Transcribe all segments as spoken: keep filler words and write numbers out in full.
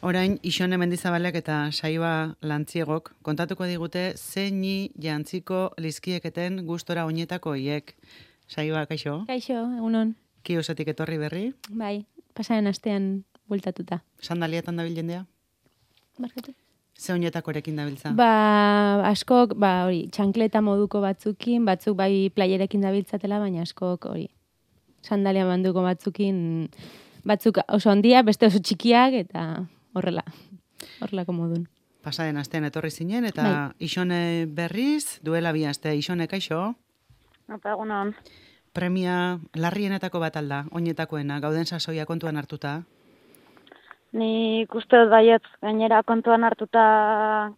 Orain, Ixone Mendizabalek eta Saiba Lantziegok kontatuko digute zeini jantziko lizkieketen gustora oinetako hiek. Saiba, kaixo? Kaixo, egunon. Kiosetik etorri berri? Bai, pasaren astean bueltatuta. Sandalietan dabil jendea? Barkatu. Ze oinetakorekin dabiltza? Ba, askok, ba, hori, txankleta moduko batzukin, batzuk bai playerekin dabiltzatela, baina askok, hori, sandalia manduko batzukin, batzuk oso handia, beste oso txikiak, eta horrela, horrelako modun. Pasaren astean etorri zinen, eta bai. Ixone berriz, duela bi aste, Ixone, kaixo? Apa, egunon. Premia larrienetako bat alda, oinetakoena, gauden sasoia kontuan hartuta? Ni uste dut baietz, gainera kontuan hartuta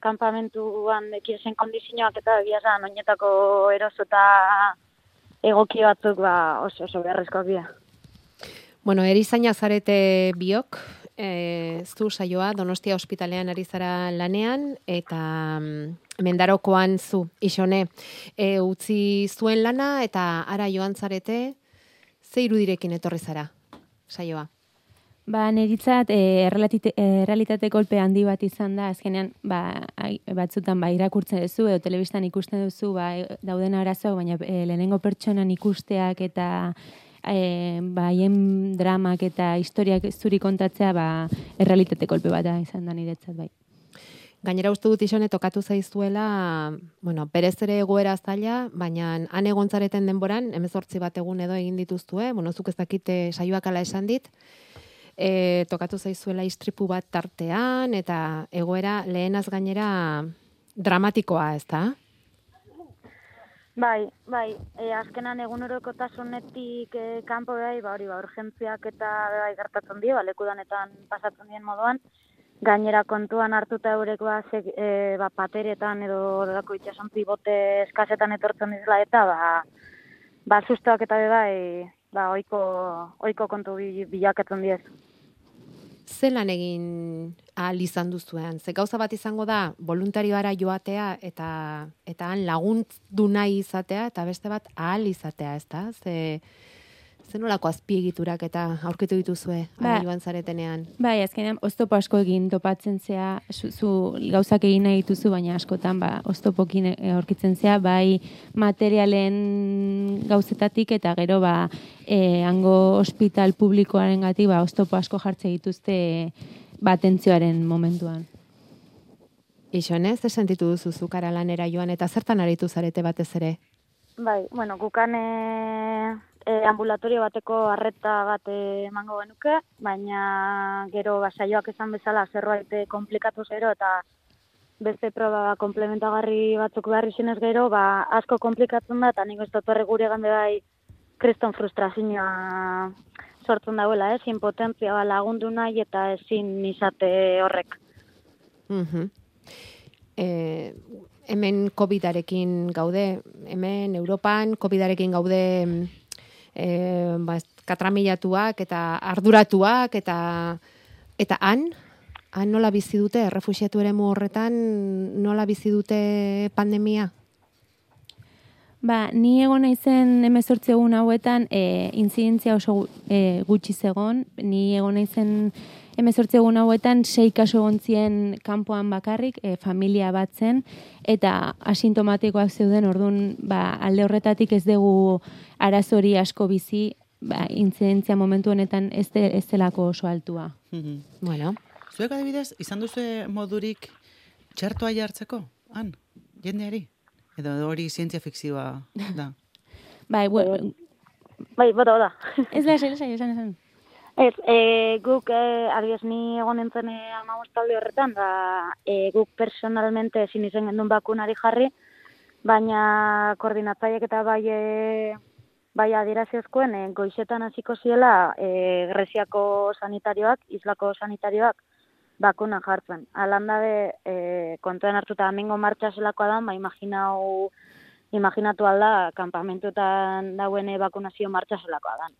kanpamentuan ekiezen kondizioak eta egiazan oinetako eroso eta egoki batzuk ba, oso oso beharrezkoak dira. Bueno, erizaina zarete biok, e, zu saioa Donostia ospitalean ari zara lanean, eta mm, Mendarokoan zu, Ixone, e, utzi zuen lana, eta ara joan zarete, ze irudirekin etorri zara, saioa? Ba, neritzat, e, errealitate kolpe handi bat izan da, azkenean, ba, ai, batzutan, ba, irakurtzen duzu, edo telebistan ikusten duzu, ba, dauden arazoak, baina e, lehenengo pertsonan ikusteak eta e, ba, haien dramak eta historiak zuri kontatzea, ba, errealitate kolpe bat da izan da niretzat, bai. Gainera uste dut Ixone tokatu zaizuela, bueno, berez ere egoera zaila, baina han egon zareten denboran, hemezortzi bat egun edo egin dituztue, bueno, zuk ez dakite saioak ala esan dit, E, tokatu zaizuela istripu bat tartean, eta egoera lehenaz gainera dramatikoa, ez da? Bai, bai, e, azkenan egunerokotasunetik e, kanpo bai, ba hori, ba, urgentziak eta bai gertatzen die, ba, lekudanetan pasatzen dien moduan, gainera kontuan hartuta eurek ba, ze, e, ba pateretan edo dako itxasontzi bote eskasetan etortzen dizela eta ba, ba sustoak eta bai, ba, oiko, oiko kontu bilakatzen diez. Zelan egin ahal izan duzuean? Ze gauza bat izango da, voluntarioara joatea eta eta han lagundu nahi izatea, eta beste bat ahal izatea, ez da? Ze, ze nolako azpiegiturak eta aurkitu dituzue ba, joan zaretenean? Bai, azkenean, oztopo asko egin topatzen zea, zu, zu gauzak egin nahi dituzu, baina askotan, ba, oztopokin aurkitzen zea, bai materialen gauzetatik, eta gero, ba, e, hango ospital publikoaren gati, ba, oztopo asko jartze dituzte, ba, atentzioaren momentuan. Ixone, ze sentitu duzu zukara lanera joan, eta zertan aritu zarete batez ere? Bai, bueno, gukan e, e, ambulatorio bateko arreta bat emango genuke, baina gero basaioak esan bezala zerbait komplikatu zero eta beste proba komplementagarri batzuk behar izenez gero, ba, asko komplikatzen da, eta nik ez dut horre gure gande bai kriston frustrazioa sortzen dauela, ez? Impotentzia ba, lagundu nahi eta ezin izate horrek. Mhm. Eh, hemen covidarekin gaude, hemen Europan covidarekin gaude eh, ba, katramilatuak eta arduratuak eta eta han, han nola bizi dute, errefuxiatu eremu horretan nola bizi dute pandemia? Ba, ni egon naizen hemezortzi egun hauetan e, intzidentzia oso e, gutxi zegon, ni egon naizen hemezortzi egun hauetan sei kasu egon zien kanpoan bakarrik, e, familia bat zen, eta asintomatikoak zeuden, orduan ba, alde horretatik ez dugu arazori asko bizi, ba, intzidentzia momentu honetan ez, de, ez delako oso altua. Mm-hmm. Bueno. Zuek adibidez, izan duzu modurik txertoa jartzeko, han, jendeari? Edo hori zientzia fikzioa da? Bai, bueno. Bai, bota, bota. Ez da, esan, esan, esan. Ez, e, guk, e, adiez, ni egon nintzen amagostalde horretan, da, e, guk personalmente ezin izen gendun bakunari jarri, baina koordinatzaiek eta bai, e, bai adierazizkoen, e, goizetan hasiko ziela e, Greziako sanitarioak, Islako sanitarioak, bakuna jartzen. Alanda de, e, kontuan hartuta amingo martxa zelakoa da, ba, imaginau, imaginatu alda, kampamentuetan dauen bakunazio martxa zelakoa da.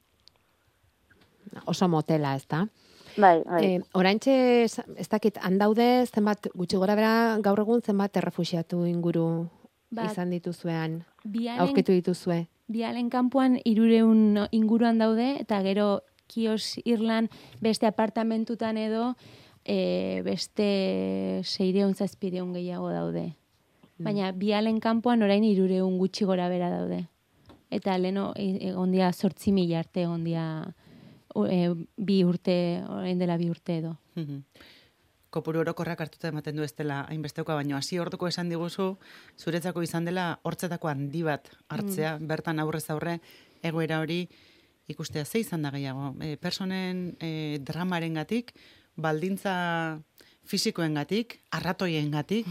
Oso motela, ez da? Bai, bai. E, oraintxe, ez dakit, handaude, zenbat, gutxi gora bera, gaur egun zenbat errefuxiatu inguru bat, izan dituzuean, bialen, aurkitu dituzue? Bialen kanpoan hirureun inguruan daude, eta gero Kios Irlan beste apartamentutan edo e, beste seireun zazpireun gehiago daude. Baina bialen kanpoan orain irureun gutxi gora bera daude. Eta leno egon dia zortzi mila arte egon dia e, bi urte, orain dela bi urte edo. Kopuru orokorrak hartuta ematen du ez dela hainbesteuka, baino hasi orduko esan diguzu, zuretzako izan dela hortzetako handi bat hartzea, mm. bertan aurrez aurre egoera hori ikustea ze izan da gehiago. E, personen e, dramarengatik, baldintza fisikoengatik, arratoiengatik,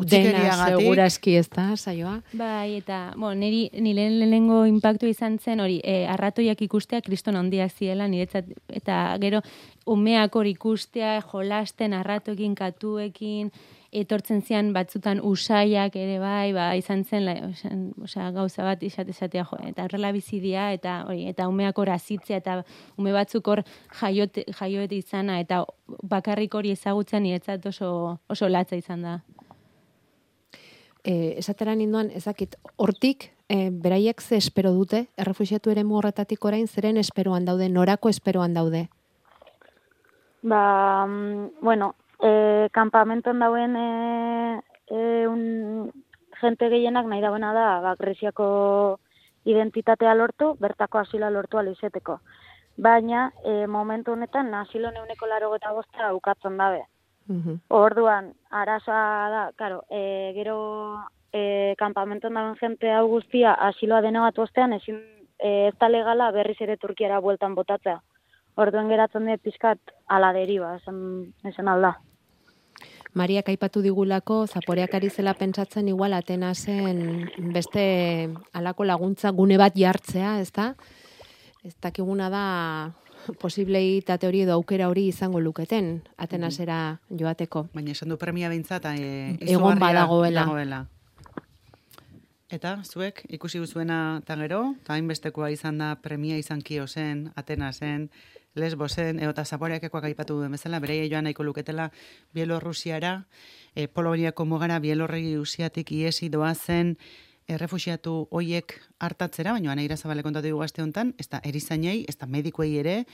dena segurazki ez da, saioa. Bai, eta, bueno, niri, nire lehenengo impactu izan zen hori, e, arratoiak ikustea kriston handiak ziela, niretzat, eta gero, umeak hori ikustea, jolasten, arratoekin, katuekin, etortzen zian batzutan usaiak ere bai, ba, izan zen, la, osea, gauza bat izate esatea, jo, eta horrela bizidia, eta hori, eta umeak hor azitzea, eta ume batzuk hor jaiote, jaioete izana, eta bakarrik hori ezagutzen niretzat oso, oso latza izan da. E, esatera ninduan, ezakit, hortik, e, beraiek ze espero dute, errefuxiatu ere horretatik orain, zeren esperoan daude, norako esperoan daude? Ba, bueno, e, kampamenton dauen e, e, un, jente gehienak nahi dauena da, ba, Greziako identitatea lortu, bertako asila lortu alizeteko. Baina, e, momentu honetan, asilo neuneko laro eta bosta ukatzen dabe. Uh-huh. Orduan, arazoa da, karo, e, gero e, kampamenton dauen jente hau guztia asiloa denegatu ostean, ezin e, ez da legala berriz ere Turkiara bueltan botatzea. Orduan geratzen dut pizkat ala deriba, esan, esan alda. Mariak aipatu digulako, Zaporeak ari zela pentsatzen igual Atenasen beste alako laguntza gune bat jartzea, ez da? Ez dakiguna da posibleitate hori edo aukera hori izango luketen Atenasera joateko. Baina esan du premia behintzat e, egon badagoela. Dagoela. Eta zuek ikusi duzuena eta gero, eta hainbestekoa izan da premia izan Kiosen, Atenasen, Lesbosen, eta Zaporeakekoak aipatu duen bezala, bereia joan nahiko luketela Bielorrusiara, e, Poloniako mugara Bielorrusiatik iesi doazen errefuxiatu hoiek hartatzera, baina Ana Irazabale kontatu dugu aste honetan, ez da erizainei, ez da medikuei ere,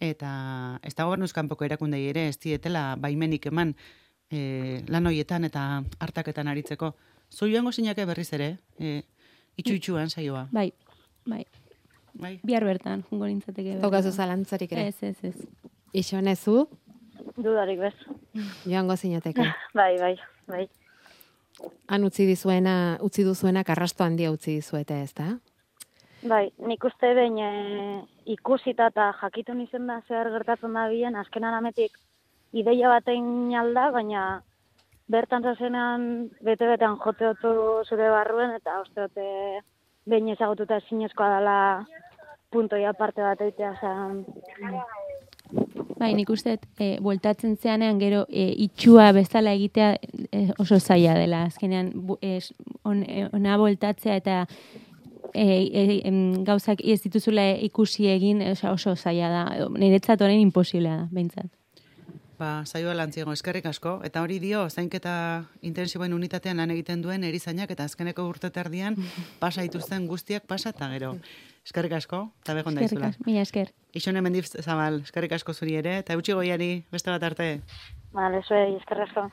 eta ez da gobernuzkanpoko erakundei ere, ez dietela baimenik eman e, lan hoietan eta hartaketan aritzeko. Zu joango zinake berriz ere, e, itxu-itxuan saioa. Bai, bai. Bai. Bihar bertan, jungo nintzateke. Tokazu zalantzarik ere. Ez, ez, ez. Ixonezu? Dudarik bez. Joango zinateke. Bai, bai, bai. Han utzi dizuena, utzi duzuena karrasto handia utzi dizuete, ez da? Bai, nik uste behin e, ikusita eta jakitun izen da zer gertatzen da bilen, azkenan ametik ideia batein alda, baina bertan zazenan bete-betean joteotu zure barruen, eta uste dute behin ezagututa zinezkoa dela puntoia parte bat eitea, zan... Bai, nik uste, e, bueltatzen zeanean gero e, itxua bezala egitea e, oso zaila dela. Azkenean, bu, e, on, e, ona bueltatzea eta e, e, em, gauzak ez dituzula ikusi egin oso, oso zaila da. Niretzat orain imposiblea da, behintzat. Ba, saioa lantziego, eskerrik asko. Eta hori dio, zainketa intensiboen unitatean lan egiten duen erizainak eta azkeneko urte erdian pasa dituzten guztiak pasa eta gero. Eskerrik asko, eta begon daizula. Eskerrik asko, mila esker. Ixone Mendiz Zabal, eskerrik asko zuri ere, eta eutxi goiari beste bat arte. Vale, zuei, eskerrik asko.